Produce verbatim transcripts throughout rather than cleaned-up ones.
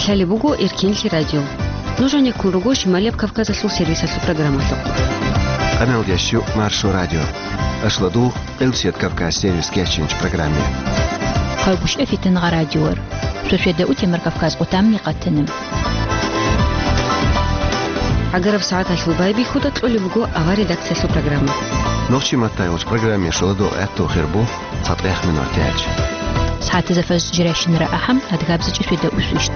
Гьале буго Эркинлъи радио. Нуж гьанеккун руго Шималияб Кавказалъул сервисалъул программалъухъ. Къаналдящу Маршо радио. Ашладу Къилсият Кавказ сервис кечинч программе. Хъалгушев Фитангъа радиор. Шошеда утемар Кавказ къутамни къатанам. Агараб сагӀаталъул байбихьуда кьолеб буго авар редакциялъул программа. Нохчи маттайгъуч программе шоладу гӀатту хирбу. ЦатӀех минутач. СагӀатазда фаз жирайщинара ахӀам, адгабзачӀи шведа усвищт.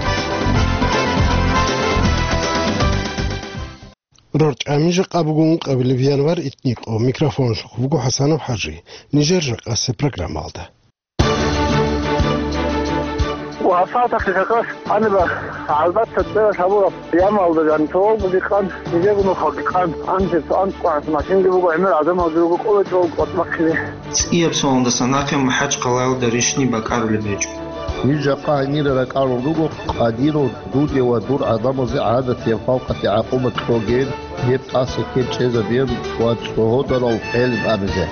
РорчӀами жакъа буго ункъабилеб январ итникъо. Микрофонлъухъ буго ХӀасанов ХӀажи. Нижер жакъасе программалда. Ва гьабсагӀаталъе какъас гьаниба гӀалбатта цӀералъ гьабураб ямалда жан цогьалгун дикъан, нижего нухалги къан, анцӀ-анцӀ къварас машинги буго, гӀемер гӀадамалги руго, къоло чӀого къотӀ бахъине. ЦӀияб соналдаса нахъе МахӀачхъалаялда рищни бакӀарулеб гьечӀо. Ниж жакъа гьанира ракӀарун руго Къадиров, дуде ва дур гӀадамазе гӀадатияб халкъалъе гӀакъуба кьоген, гьеб тӀаса ккел чӀезабеян ва цӀогьодарал хӀел гьабизе.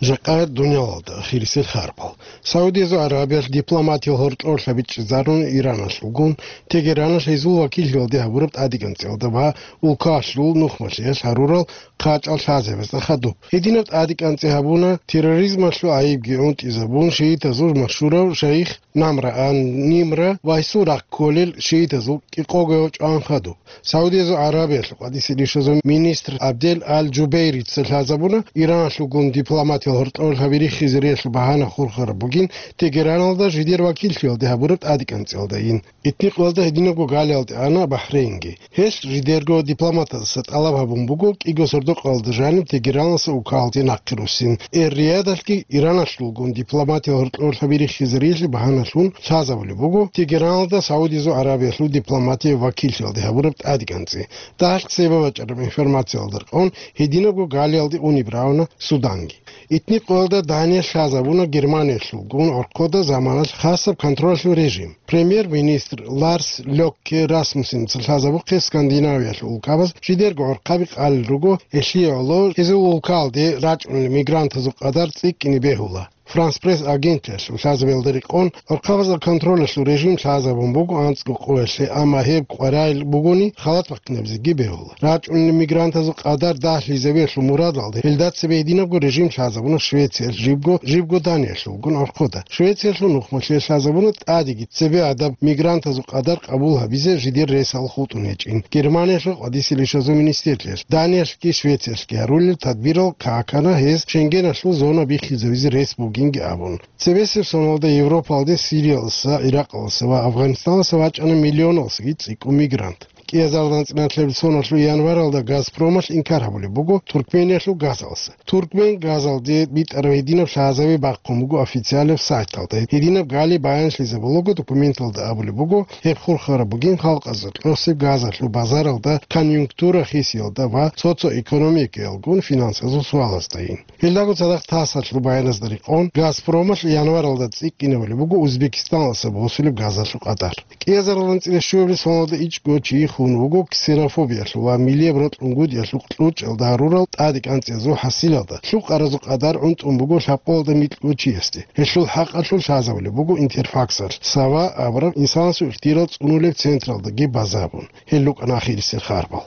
Жакъа дуниялалда ахирисел харбал. Саудиязул Аравиялъ дипломатиял гьоркьорлъа бичӀчӀизарун Ираналъулгун, Тегераналъ гьезул вакиллъиялде гьабураб тӀадегӀанцӀиялда ва улкалъул нухмалъиялъ гьарурал хъачӀал лъазабазда хадуб. Гьединаб тӀадегӀанцӀи гьабуна терроризмалъул гӀайибги гӀунтӀизабун шиитазул машгьурав шайих Намра ан-Нимра ва гьесул рахъ кколел шиитазул кӀикъого чӀван хадуб. Саудиязул Аравиялъул къватӀисе рищазул министр Абдел Ал-Жубейрица лъазабуна, Ираналъулгун дипломатиял гьоркьорлъаби риххизариялъул багьана хурхараб бугин Тегераналда жидер вакиллъиялде гьабураб тӀадегӀанцӀиялдайин. Итникъоялда гьединабго галиялде ана Бахрейнги. Гьелъ жидерго дипломатаздаса тӀалаб гьабун буго кӀиго сордо-къоялда жаниб Тегераналдаса улкалде нахъе руссин. Эр-Риядалъги Ираналъулгун дипломатиял гьоркьорлъаби риххизариялъе багьаналъун лъазабулеб буго Тегераналда Саудиязул Аравиялъул дипломатияв вакиллъиялде гьабураб тӀадегӀанцӀи. Дагьалъ цебе бачӀараб информациялда рекъон гьединабго галиялде унеб равна Суданги. Итникъоялда Даниялъ лъазабуна Германиялъулгун гӀорхъода заманалъ хасаб контролалъул режим. Премьер-министр Ларс Лёкке Расмуссенца лъазабухъе Скандинавиялъул улкабаз жидерго гӀорхъаби къалел руго, гьелъие гӀоло гьезул улкалде рачӀунел мигрантазул къадар цӀикӀкӀине бегьула. Франс Пресс агенталъул лъазабиялда рекъон, гӀорхъабазда контролалъул режим лъазабун буго анцӀго къоялъе, амма гьеб къваригӀел бугони, халат бахъинабизеги бегьула. РачӀунел мигрантазул къадар дагьлъизабиялъул мурадалда гьелда цебе гьединабго режим лъазабуна Швециялъ, жибго, жибго Даниялъулгун гӀорхъода. Швециялъул нухмалъе лъазабуна тӀадеги цебе гӀадаб мигрантазул къадар къабул гьабизе жидер ресал хутӀун гьечӀин. Германиялъул къватӀисе рищазул министрлъиялъ, Даниялъги Швециялъги гьарулел тадбирал какана гьез Шенгеналъул зона биххизавизе рес бугинги абун. Цебесеб соналда Европалде Сириялдаса, Иракъалдаса ва Афганистаналдаса вачӀана миллионалдасаги цӀикӀкӀун мигрант. КӀиазардан цӀиналъеб соналъул январалда Газпромалъ инкар гьабулеб буго Туркмениялъул газалдаса. Туркмен газалде битӀараб гьединаб лъазаби бахъун буго официалаб сайталда. Гьединаб гали баянлъизабулаго документалда абулеб буго, гьеб хурхараб бугин халкъазда кьосеб газалъул базаралда конъюнктура хисиялда ва социоэкономикаялгун финансазул суалаздайин. Гьелдаго цадахъ ТАССалъул баяназда рекъон, Газпромалъ январалда цӀикӀкӀинабулеб буго Узбекистаналдаса босулеб газалъул къадар. КӀиазаралдан цӀияб щуабилеб соналда ичӀго чи хун вуго ксенофобиялъул ва миллияб рокьунгутӀиялъул кьучӀалда гьарурал тӀадегӀанцӀиязул хӀасилалда. Лъукъаразул къадар гӀунтӀун буго лъабкъоялда микьго чиясде. Гьелъул хӀакъалъулъ лъазабулеб буго Интерфаксалъ, Сава абураб инсанасул ихтияр цӀунулеб централдаги базабун. Гьел рукӀана ахирисел харбал.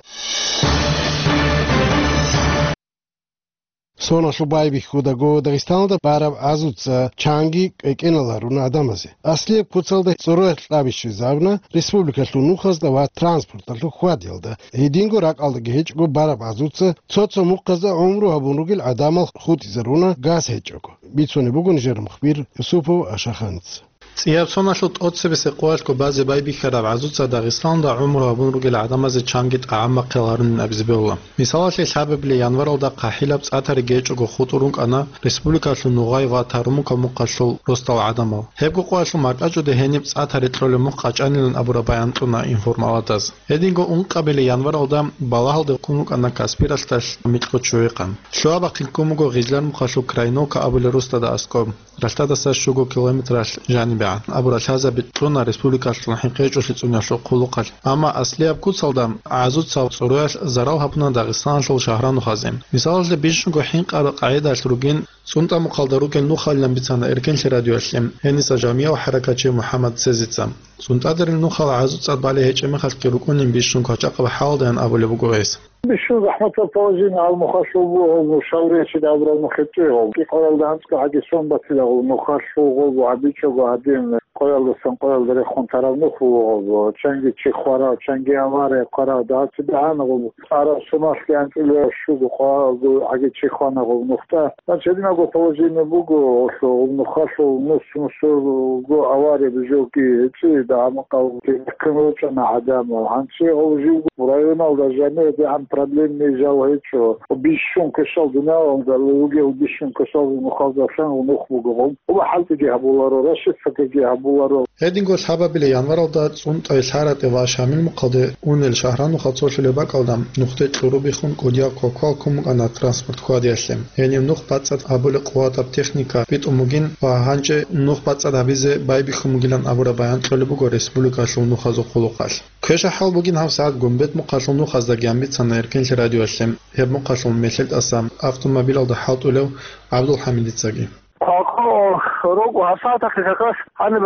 Соналъул байбихьудаго Дагъистаналда бараб гӀазуца чанги кӀвекӀеналаруна гӀадамазе. Аслияб куцалда цӀорорахъ кьабищезабуна республикалъул нухазда ва транспорталъул хьвадиялда. Гьединго ракӀалдаги гьечӀого бараб гӀазуца цо-цо мухъазда гӀумру гьабун ругел гӀадамал хутӀизаруна газ гьечӀого. Бицунеб буго нижер мухбир Юсупов Ашаханица. ЦӀияб соналъул тӀоцебесеб къоялъго базе байбихьараб гӀазуца Дагъистаналда гӀумру гьабун ругел гӀадамазе чанги тӀагӀам бахъияларунин абизе бегьула. Мисалалъе, лъабабилеб январалда хъахӀилаб цӀа тариги гьечӀого хутӀун рукӀана республикалъул нугъай ва Тарумука мухъалъул росдал гӀадамал. Гьебго къоялъул маркӀачӀуде гьениб цӀа тари кьолеб мухъ къачӀанилан абураб баян кьуна информаладаз. Гьединго ункъабилеб январалда балагьалде ккун рукӀана Каспиралъдалъ микьго ччугӀи къан. Лъугьа-бахъин ккун буго Гъизлар мухъалъул Крайновка абулеб росдада аскӀоб, ралъдадаса щуго километралъ жанибе. абурал лъазаби кьуна республикалъул хӀинкъичӀолъи цӀуниялъул хъулухъалъ. Амма аслияб куцалда гӀазуцал цӀуруялъ зарал гьабуна Дагъистаналъул шагьранухазе. Мисалалъе, бищунго хӀинкъараб къагӀидалъ ругин, ЦӀунтӀа мухъалда ругел нухалилан бицана Эркенлъи радиоялъе гьениса жамияв хӀаракатчи МухӀаммад Сезица. ЦӀунтӀадерил нухал гӀазуцӀцӀад балей гьечӀеб мехалъги рукӀунин бищун квачӀахъаб хӀалдаян абулеб буго гьес. Бищун захӀматаб положение гьал нухалъул буго, гьал нушал речида абураб нухецӀи гьал. КӀикъоялда анцӀго гьаги сон батила гьал нухалъул гьал гьабичӀого гьадин, къоялдасан къоялда рехун тарав нух буго гьал. Чанги чи хварав, чанги авария хварав, дагьаб цебегӀан гьал. Араб сунахъги анцӀила щуго къоялда гьаги чи хвана гьал нухда. Гьанчи гьединабго положение буго, гьелъул нухалъул нус-нусго авария бижоги гьечӀи, дагьа-макъав кин рочӀана гӀадамал. Гьанчи гьав живго районалда жаниве дигӀан проблемный жал гьечӀо. Бищун квешал дуниялалда ругел бищун квешал нухалдасан нух буго. Ва хӀалтӀиги гьабуларо, расчесткаги гьабуларо. Гьединго лъабабилеб январалда ЦӀунтӀай, ЛъаратӀе ва Шамил мухъалде унел шагьранухал цолъулеб бакӀалда нухде кьурубихъун кӀудияв квалквал ккун букӀана транспорт хьвадиялъе. Гьенив нух бацӀцӀад гьабулеб къуватаб техника битӀун бугин ва гьанже нух бацӀцӀад гьабизе байбихьун бугилан абураб баян кьолеб буго республикалъул нухазул хъулухъалъ. Квешаб хӀал бугин гьабсагӀат Гумбет мухъалъул нухаздаги бицана Эркенлъи радиоялъе, гьеб мухъалъул мелъел тӀаса автомобилалда хӀалтӀулев ГӀабдулхӀамидицаги. Хъалхъо руго гьабсагӀаталъе как раз гьаниб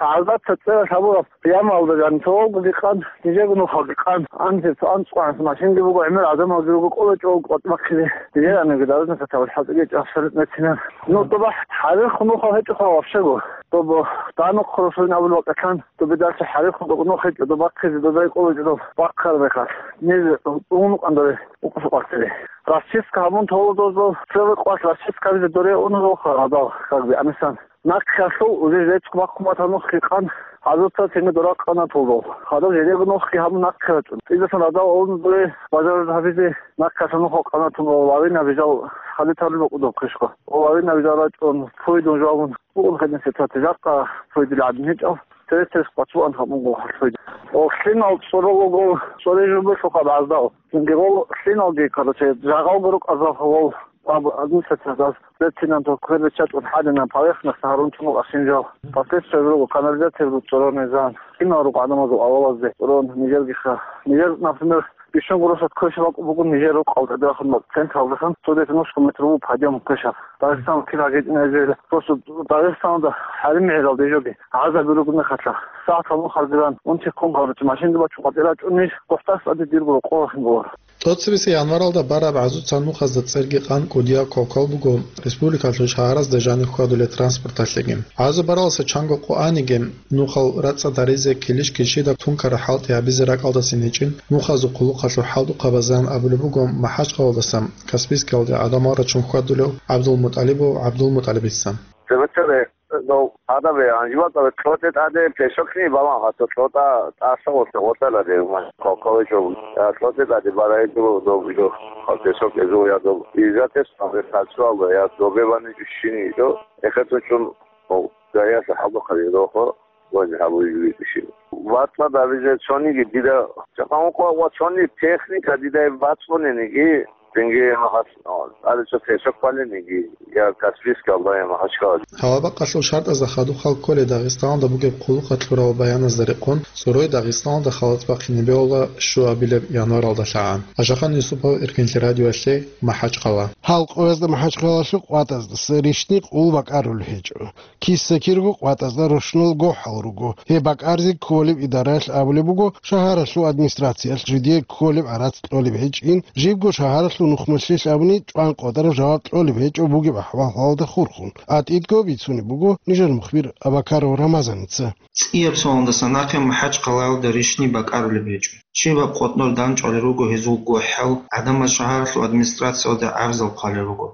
гӀазаца цӀералъ гьабураб ямалда жаниб цогоги къан, нижего нухалги къан, анцӀго анцӀго машинги буго, гӀемер гӀадамалги руго, кӀоло чӀого къватӀ бахъизе, нижер анаги дарудаса тавил хӀалтӀиги абсолютно цинан. Ну, доба хӀарихъ нухал гьечӀоха вообще-го. Добо данухъ росулин абулеб бакӀалъан, добе дальше хӀарихъ нухал гьечӀо, доба бахъизе, доба кӀоло чӀого бахъараб мехалъ. Ниж унукъан доре укъусукъ бахъизе. Расчистка гьабун толодозул, цеве къвалъ расчистка гьабизе доре унузулха гьадал, как бы, амисан. Нахъалъул уже жечӀ бахъун батанухъги къан, гьазурца цинги дора къанатулдул. Гьадаб жидего нухги гьабун нахъе рачӀун. ЦӀидасан радал унзуе бажарулеб гьабизе нахъалъа нух къанатун ва лавина бижал хали тарулеб букӀудаб квешго. Ва лавина бижал рачӀун, пуйдун жавабун, бугун хадин сетати жакъа пуйдил гӀадин гьечӀал, терес-терес къватӀбуан гьабун гъол хӀалхуйда. Ва лъимал цӀоролого цӀорей жубелъухъа баздал. Цинги гъол лъималги, короче, жагъалго рукӀазал гъол аб-, администрациялдас. Лейтенант квербечатӀун хӀадинаб поверхность гьарун чӀун ашинжал. Последствия руго канализация буго цӀорон низан. Кинал руго гӀадамазул авалазде цӀорон нижергиха. Нижер, например, бищун гурусат квешаб бакӀ буго нижер рукъалда дерахун бакӀ централдасан цо десять метр буго подъём квешаб. Дагъистан кин гьагечӀин эзел. Просто Дагъистанда хӀарим гӀелалда жоги гӀазаби ругуна хатла. СагӀат гьабун хардиран, унти ккун гьаручи машинда бачун къватӀира чӀун ниж, гохӀдас тӀаде дирго рокъов рахин буго. ТӀоцебесеб январалда бараб гӀазуца нухазда цӀерги къан кӀудияв квалквал буго республикалъул шагьаразда жанив хьвадулеб транспорталъеги. ГӀазу бараласа чанго къо аниги, нухал рацӀцӀад гьаризе килищ-килщида тункараб хӀалтӀи гьабизе ракӀалдасин гьечӀин, нухазул хъулухъалъул хӀалтӀухъабазеян абулеб буго МахӀачхъалаялдаса Каспийскиялде гӀадамал рачун хьвадулев ГӀабдулмутӀалибов ГӀабдулмутӀалибица. Цебе-цебе дов гьадабе, гьанжи бакӀалде лъотӀе тӀаде песокни балан гьатӀо лъотӀа тӀаса гъоса гъотӀа ладе, коколечӀо, я лъотӀе тӀаде барайдуло дов жо, песок эзул я дов. Изатес абе тацуалда, я добе вани жущини жо, эхетун чӀун, о, гаяса хӀалухъари рохо, вани гьабуй жуй жущини. ВатӀа давизе цониги дида, чакъан укъо ва цони техника дидай бацӀунениги, Цинги гьас, а, цӀаличӀо песок балениги, я Каспийскалда, я МахӀачхъала. Гьава бакъалъул шартӀазда хадуб хал кколей Дагъистаналда бугеб хъулухъалъурал баяназда рекъон, цӀорой Дагъистаналда халац бахъине бегьула щуабилеб январалда лъагӀан. Ашахан Юсупов, Эркенлъи радиоялъе, МахӀачхъала. Гьал къоязда МахӀачхъалалъул къватӀаздаса рищни къул бакӀарулеб гьечӀо. Киса-кирго къватӀазда рощунал гохӀал руго. Гьеб бакӀарзе кколеб идараялъ абулеб буго, шагьаралъул администрациялъ жидее кколеб гӀарац кьолеб гьечӀин, жибго шагьаралъул нухмалъилъ абуни чӀван къотӀараб жаваб кьолеб гьечӀо бугеб ахӀвалалда хурхун. АтӀидго бицунеб буго нижер мухбир Абакаров Рамазаница. ЦӀияб соналдаса нахъе МахӀачхъалаялда рищни бакӀарулеб гьечӀо. Щибаб къотӀнор данчӀвалел руго гьезул гохӀал, гӀадамаз шагьаралъул администрациялда гӀарзал хъвалел руго.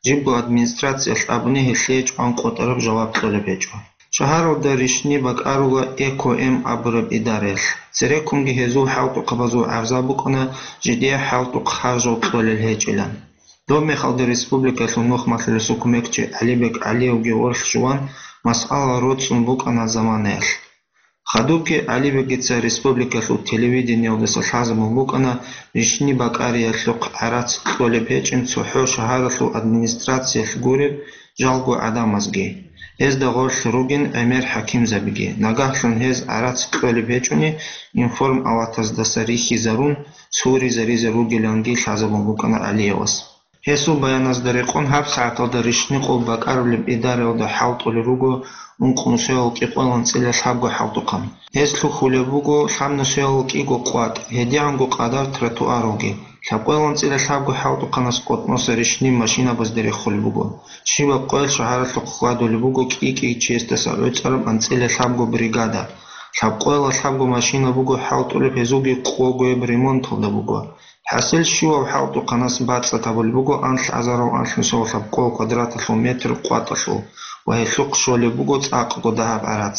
Жибго администрациялъ абуни гьелъие чӀван къотӀараб жаваб кьолеб гьечӀо. Шагьаралда рищни бакӀарула Эко-М абураб идараялъ. Цереккунги гьезул хӀалтӀухъабазул гӀарзал букӀана жидее хӀалтӀухъ харжал кьолел гьечӀилан. Доб мехалда республикалъул нухмалъулесул кумекчи ГӀалибек ГӀалиевги гъорлъ жуван масъала роцӀцӀун букӀана заманаялъ. Хадубги ГӀалибегица республикалъул телевидениялдаса лъазабун букӀана рищни бакӀариялъухъ гӀарац кьолеб гьечӀин цохӀо шагьаралъул администрациялъ гуреб жалго гӀадамазги. Гьезда гъорлъ ругин гӀемер хӀакимзабиги. Нагагьлъун гьез гӀарац кьолеб гьечӀони, информалатаздаса рихьизарун, цуризаризе ругиланги лъазабун букӀана ГӀалиевас. Гьесул баяназда рекъон, гьаб сагӀаталда рищникъул бакӀарулеб идараялда хӀалтӀулел руго ункънусиялъул кӀикъоялда анцӀила лъабго хӀалтӀухъан. Гьез лъухьулеб буго лъабнусиялъул кӀиго къватӀ, гьедигӀанго къадар тротуаралги. Лъабкъоялда анцӀила лъабго хӀалтӀухъанас къотӀноса рищни машинабазде рехулеб буго. Щибаб къоялъ шагьаралъухъ хьвадулеб буго кӀи-кӀи чиясдаса гӀуцӀараб анцӀила лъабго бригада. Лъабкъоялда лъабго машина буго хӀалтӀулеб, гьезулги къого гьеб ремонталда буго. ХӀасил щивав хӀалтӀухъанас бацӀцӀад гьабулеб буго анлъазарал анлънусиялъул лъабкъоялда квадраталъул метр къватӀалъул ва гьелъухъ щолеб буго цӀакъго дагьаб гӀарац.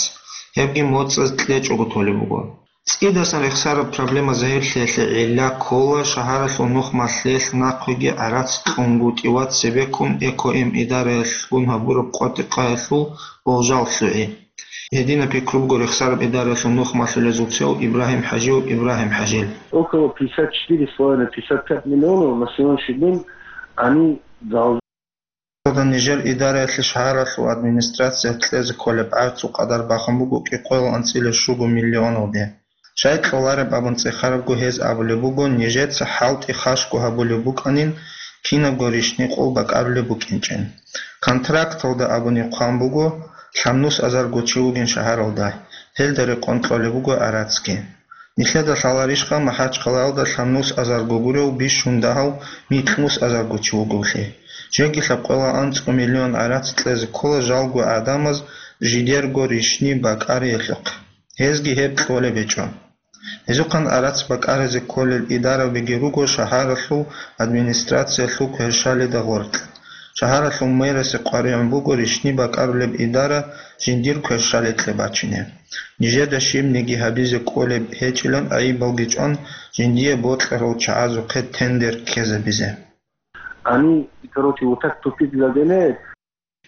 Гьебги моцӀаз кьечӀого толеб буго. ЦӀидасан рехсараб проблема загьирлъиялъе гӀилла ккола шагьаралъул нухмалъиялъ нахъеги гӀарац кьунгутӀи ва цебеккун Эко-М идараялъгун гьабураб къватӀихъаялъул болжал лъугӀи. Гьединаб пикру буго рехсараб идараялъул нухмалъулезул цо Ибрагьим ХӀажиев Ибрагьим ХӀажил. Около пятьдесят четыре с половиной, пятьдесят пять миллионов на сегодняшний день они должны. Нижер идараялъе шагьаралъул администрациялъ кьезе кколеб гӀарцул къадар бахун буго кӀикъоялда анцӀила щуго миллионалде. Щай кьолареб абун цӀехарабго, гьез абулеб буго, нижеца хӀалтӀи хашго гьабулеб букӀанин, кинабго рищникъул бакӀарулеб букӀинчӀин. Контракталда абуни хъван буго, лъабнус азарго чи вугин шагьаралда, гьелда рекъон кьолеб буго гӀарацги. Нилъеда лъаларищха МахӀачхъалаялда лъабнус азарго гурев бищун дагьав микьнус азарго чи вугевлъи? Жеги лъабкъоялда анцӀго миллион гӀарац кьезе ккола жалго гӀадамаз жидерго рищни бакӀариялъухъ. Гьезги гьеб кьолеб гьечӀо. Гьезухъан гӀарац бакӀаризе кколел идарабиги руго шагьаралъул администрациялъул кверщалида гъоркь. Шагьаралъул мэрасе къваригӀун буго рищни бакӀарулеб идара жиндир кверщаликье бачине. Нижеда щибниги гьабизе кӀолеб гьечӀилан гӀайибалги чӀван, жиндие бокьарал чагӀазухъе тендер ккезабизе. Они, короче, вот так тупик загоняют.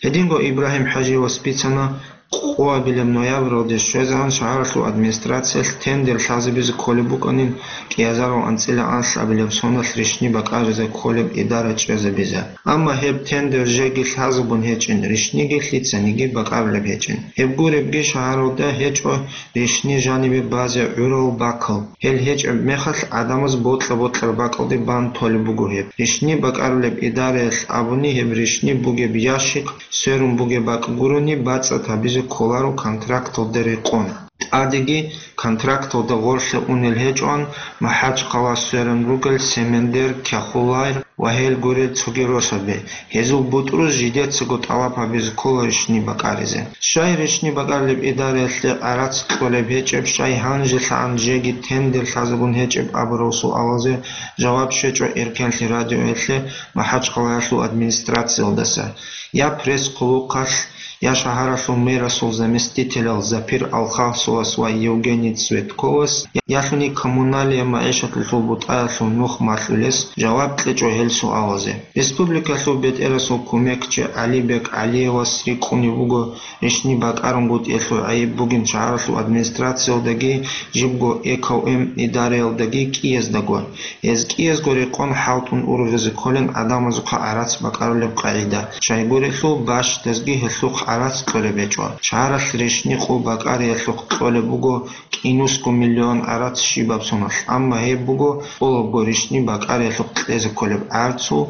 Гьединго Ибрагьим ХӀажиевас бицана, къоабилеб ноябралде щвезегӀан шагьаралъул администрациялъ тендер лъазабизе кколеб букӀанин, кӀиазарал анцӀила анлъабилеб соналъ рищни бакӀаризе кколеб идара чӀезабизе. Амма гьеб тендер жеги лъазабун гьечӀин, рищниги лъицаниги бакӀарулеб гьечӀин. Гьеб гуребги, шагьаралда гьечӀо рищни жанибе базе гӀурал бакал. Гьел гьечӀеб мехалъ гӀадамаз бокьа-бокьараб бакӀалде бан толеб буго гьеб. Рищни бакӀарулеб идараялъ абуни, гьеб рищни бугеб ящик, сверун бугеб бакӀ гурони, бацӀцӀад гьабизе кколаро контракталда рекъон. ТӀадеги контракталда гъорлъе унел гьечӀоан, МахӀачхъала сверун ругел Семендер, Кяхулайр ва гьел гурел цоги росаби. Гьезул бутӀруз жидецаго тӀалаб гьабизе ккола рищни бакӀаризе. Щай рищни бакӀарулеб идараялъе гӀарац кьолеб гьечӀеб, щай гьанжелъагӀан жеги тендер лъазабун гьечӀеб абурал суалазе жаваб щвечӀо Эркенлъи радиоялъе МахӀачхъалаялъул администрациялдаса, я пресс-хъулухъалъ, я шагьаралъул мэрасул заместителал Запир Алхасовас ва Евгений Цветковас, ялъуни коммуналия магӀишаталъул бутӀаялъул нух малъулес жаваб кьечӀо гьел суалазе. Республикалъул бетӀерасул кумекчи ГӀалибек ГӀалиевас рикӀкӀунеб буго рищни бакӀарунгутӀиялъул гӀайиб бугин шагьаралъул администрациялдаги, жибго Эко-М идараялдаги кӀияздаго. Гьез кӀиязго рекъон хӀалтӀун ургъизе кколин гӀадамазухъа гӀарац бакӀарулеб къагӀида. Щайгурелъул бащдазги гьелъухъ гӀарац кьолеб гьечӀо. Шагьаралъ рищни къул бакӀариялъухъ кьолеб буго кӀинусго миллион гӀарац щибаб соналъ, амма гьеб буго тӀолабго рищни бакӀариялъухъ кьезе кколеб гӀарцул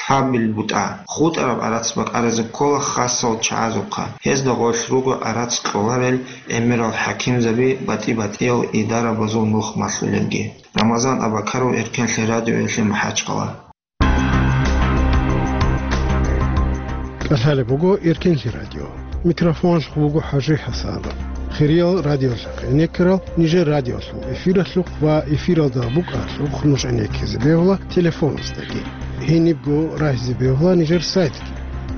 лъабил бутӀа. ХутӀараб гӀарац бакӀаризе ккола хасал чагӀазухъа. Гьезда гъорлъ руго гӀарац кьоларел гӀемерал хӀакимзаби, батӀи-батӀиял идарабазул нух малъулелги. Рамазан Абакаров, Эркенлъи радиоялъе МахӀачхъала. КӀалъалеб буго Эркенлъи радио. Микрофоналъухъ вуго ХӀажи ХӀасанов. Хириял радиолъухъ гӀенеккарал нижер радиолъул эфиралъухъ ва эфиралда букӀаралъухъ нуж гӀенеккизе бегьула телефоназдаги. Гьенибго рагьизе бегьула нижер сайтги.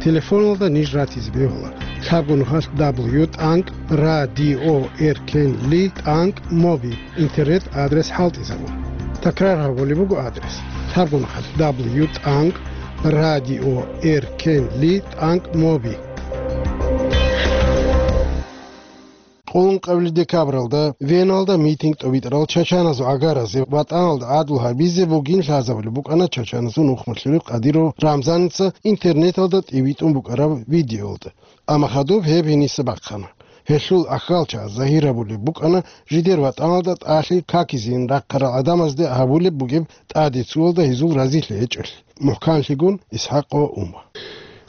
Телефоналда ниж ратизе бегьула: лъабго нухалъ дабл ю тӀанкӀ радио эркенли тӀанкӀ моби интернет адрес хӀалтӀизабун. Такрар гьабулеб буго адрес: лъабго нухалъ дабл ю тӀанкӀ радио эркенли тӀанкӀ моби. Къулункъабилеб декабралда Веналда митинг тӀобитӀарал чачаназул гӀагаразе ватӀаналда гӀадлу гьабизе бугин лъазабулеб букӀана чачаназул нухмалъулев Къадиров Рамзаница интернеталда тӀибитӀун букӀараб видеолда. Амма хадуб гьеб гьениса бахъана. Гьелъул ахьалчагӀаз загьир гьабулеб букӀана жидер ватӀаналда тӀалъи какизейин рахъарал гӀадамазде гьабулеб бугеб тӀаде цоялда гьезул разилъи гьечӀолъи. МухӀканлъигун ИсхӀакъ ва Ума.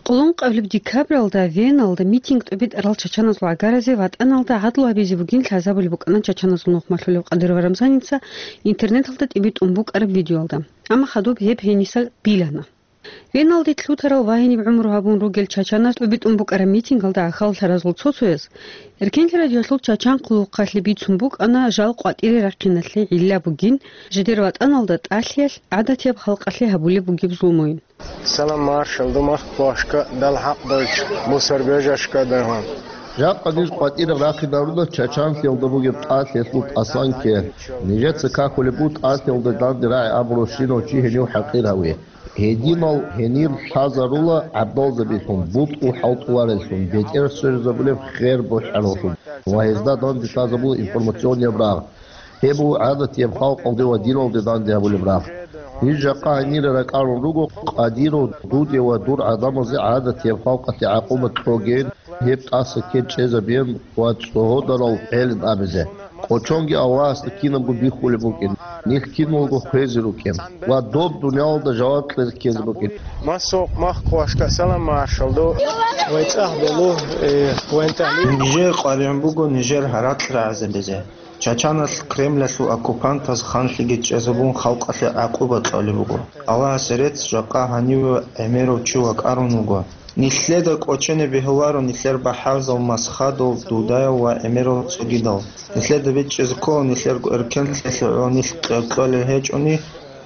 Къулункъабилеб декабралда Веналда митинг тӀобитӀарал чачаназул гӀагаразе ватӀаналда гӀадлу гьабизе бугин лъазабулеб букӀана чачаназул нухмалъулев Къадиров Рамзаница интернеталда тӀибитӀун букӀараб видеолда. Амма хадуб гьеб гьениса билана. Веналде лъутарал ва гьениб гӀумру гьабун ругел чачаназ тӀубитӀун букӀараб митингалда ахьаллъаразул цо-цояз Эркенлъи радиолъул чачан хъулухъалъе бицун букӀана жал къватӀире рахъиналъе гӀилла бугин, жидер ватӀаналда тӀалъиялъ гӀадатияб халкъалъе гьабулеб бугеб зулмуйин. Салам маршал, думах квашка, дал хӀакъ дойч, бусар бежашка дагьан. Жакъа ниж къватӀире рахъинаруна чачанлъиялда бугеб тӀалъиялъул тӀасан ккел. Нижеца какулеб бу тӀалъиялда данде рагӀи абурав щинав чи гьенив хӀакъир гьаве. Гьединал гьенир лъазарула гӀабдалзабилъун, бутӀрул хӀалтӀулареллъун, бетӀер сверизабулеб хер бухӀараллъун ва гьезда данде лъазабула информационияб рагъ. Гьеб буго гӀадатияб халкъалде ва диналде данде гьабулеб рагъ. Гьеб жакъа гьенире ракӀарун руго, Къадиров, дуде ва дур гӀадамазе гӀадатияб халкъалъе гӀакъуба кьоген, гьеб тӀаса ккел чӀезабеян ва цӀогьодарал гӀелин абизе. Кочонги Аллагьасда кинабго биххулеб букӀин, нилъ киналго хвезе рукӀин ва доб дуниялалда жаваб кьезе ккезе букӀин. Масухъ махъ квашка салам маршалду. Вай цӀах белу, э, вентали. Нижер къваригӀун буго нижер гьаракь рагӀизабизе. Чачаналъ Кремлалъул оккупантаз ханлъиги чӀезабун халкъалъе гӀакъуба кьолеб буго. Аллагьасе рецц, жакъа гьаниве гӀемерав чи вакӀарун вуго. Нилъеда кӀочене бегьуларо нилъер бахӀарзал Масхадов, Дудаев ва гӀемерал цогидал. Нилъеда бичӀчӀизе ккола нилъерго эркенлъиялъе гӀоло нилъ кьер-кьолел гьечӀони,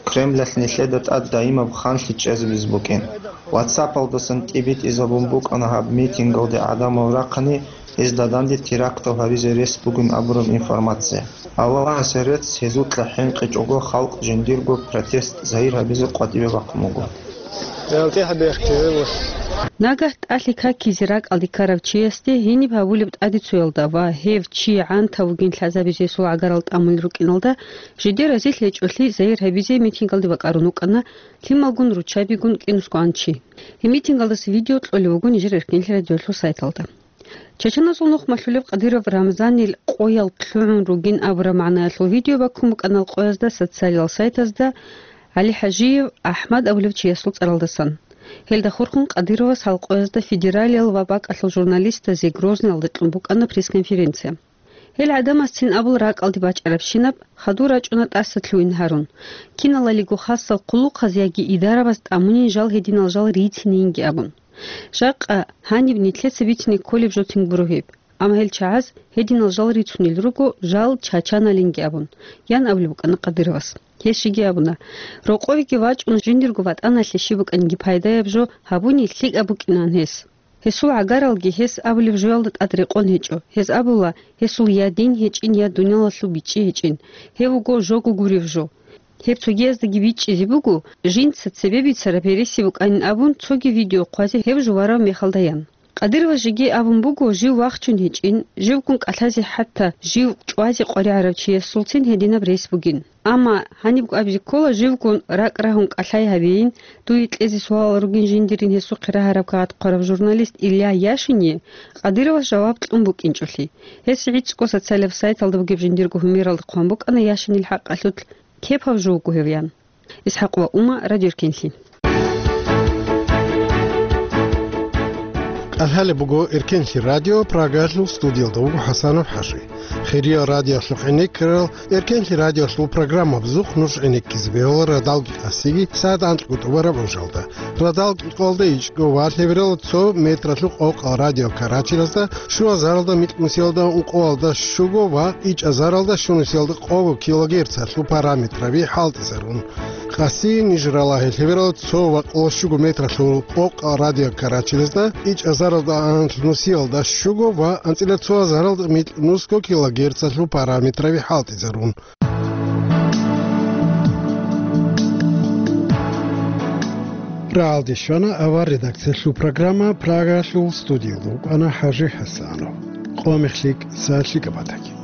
Кремлалъ нилъеда тӀад даимаб ханлъи чӀезабизе букӀин. WhatsApp-алдасан тӀибитӀизабун букӀана гьаб митингалде гӀадамал рахъани, гьезда данде терактал гьабизе рес бугин абураб информация. Аллагьасе рецц, гьезукьа хӀинкъичӀого халкъ жиндирго протест загьир гьабизе къватӀибе бахъун буго. Нагагь тӀалъи какизе ракӀалде ккарав чиясде гьениб гьабулеб тӀадецоялда ва гьев чи гӀантав вугин лъазабизе гьесул гӀагарал тӀамулел рукӀиналда жидер разилъ гьечӀолъи загьир гьабизе митингалде бакӀарун вукӀана лъималгун руччабигун кӀинусгоан чи. Гьеб митингалдаса видео кьолеб буго нижер Эркенлъи радиолъул сайталда. Чачаназул нухмалъулев Къадиров Рамзанил къоял лъугӀун ругин абураб магӀнаялъул видео баккун букӀана къоязда социалиял сайтазда ГӀали ХӀажиев АхӀмад абулев чиясул цӀаралдасан. Гьелда хурхун Къадировас гьал къоязда федералиял ва бакӀалъул журналистазе Грозныйалда кьун букӀана пресс-конференция. Гьел гӀадамасцин абул ракӀалде бачӀарабщинаб, хадур рачӀуна тӀаса лъугьин гьарун, киналалиго хасал хъулухъаз яги идарабаз тӀамунин жал гьединал жал рицинейинги абун. Жакъа гьаниб нилъеца бицине кколеб жо тин гуро гьеб. Амма гьел чагӀаз гьединал жал рицунел руго, жал чачаналинги абун, ян абулеб букӀана Къадыровас. Гьес жеги абуна, рокъовеги вачӀун жиндирго ватӀаналъе щиб букӀанги пайдаяб жо гьабуни лъикӀаб букӀинан гьес. Гьесул гӀагаралги гьес абулеб жоялда тӀад рекъон гьечӀо. Гьез абула, гьесул я дин гьечӀин, я дуниялалъул бичӀчӀи гьечӀин. Гьев вуго жого гурев жо. Гьеб цогияздаги бичӀчӀизе буго, жинца цебе бицараб гьереси букӀанин абун, цоги видео хъвазе гьев жуварав мехалда ян. Къадыровас жеги абун буго, жив вахчун гьечӀин, живгун кӀалъазе, хӀатта жив чӀвазе къваригӀарав чиясулцин гьединаб рес бугин. Амма гьанибго абизе ккола, живгун ракӀ рагьун кӀалъай гьабейин, дуе кьезе суалал ругин жиндирин гьесухъе рагьараб кагъат хъварав журналист Илья Яшиние Къадыровас жаваб кьун букӀинчӀолъи. Гьес гӀицӀго социалияб сайталда бугеб жиндирго гьумералда хъван букӀана Яшинил хӀакъалъулъ, кепав жо вуго гьев, ян. ИсхӀакъ ва Ума, Радио Эркенлъи. КӀалъалеб буго Эркенлъи радио, Прагалъул студиялда вуго ХӀасанов ХӀажи. Хириял радиолъухъ гӀенеккарал, Эркенлъи радиолъул программа бузухъ нуж гӀенеккизе бегьула радалги къасиги сагӀат анкьго тӀубараб гӀужалда. Радал кӀикъоялда ичӀго ва лъебералда цо метралъул къокъал радиокарачелазда, щуазаралда микьнусиялда, ункъоялда щуго ва ичӀазаралда щунусиялда къого килогерцалъул параметраби хӀалтӀизарун. Къаси ниж ралагье лъебералда цо ва къоло щуго метралъул къокъал радиокарачелазда, ичӀазаралда анкьнусиялда щуго ва анцӀила цоазаралда микьнусго килогерцалъул параметраби хӀалтӀизарун. Рагьалде щвана авар редакциялъул программа, Прагалъул студиялда вукӀана ХӀажи ХӀасанов. Къо мех лъикӀ, са лъикӀаб батаги.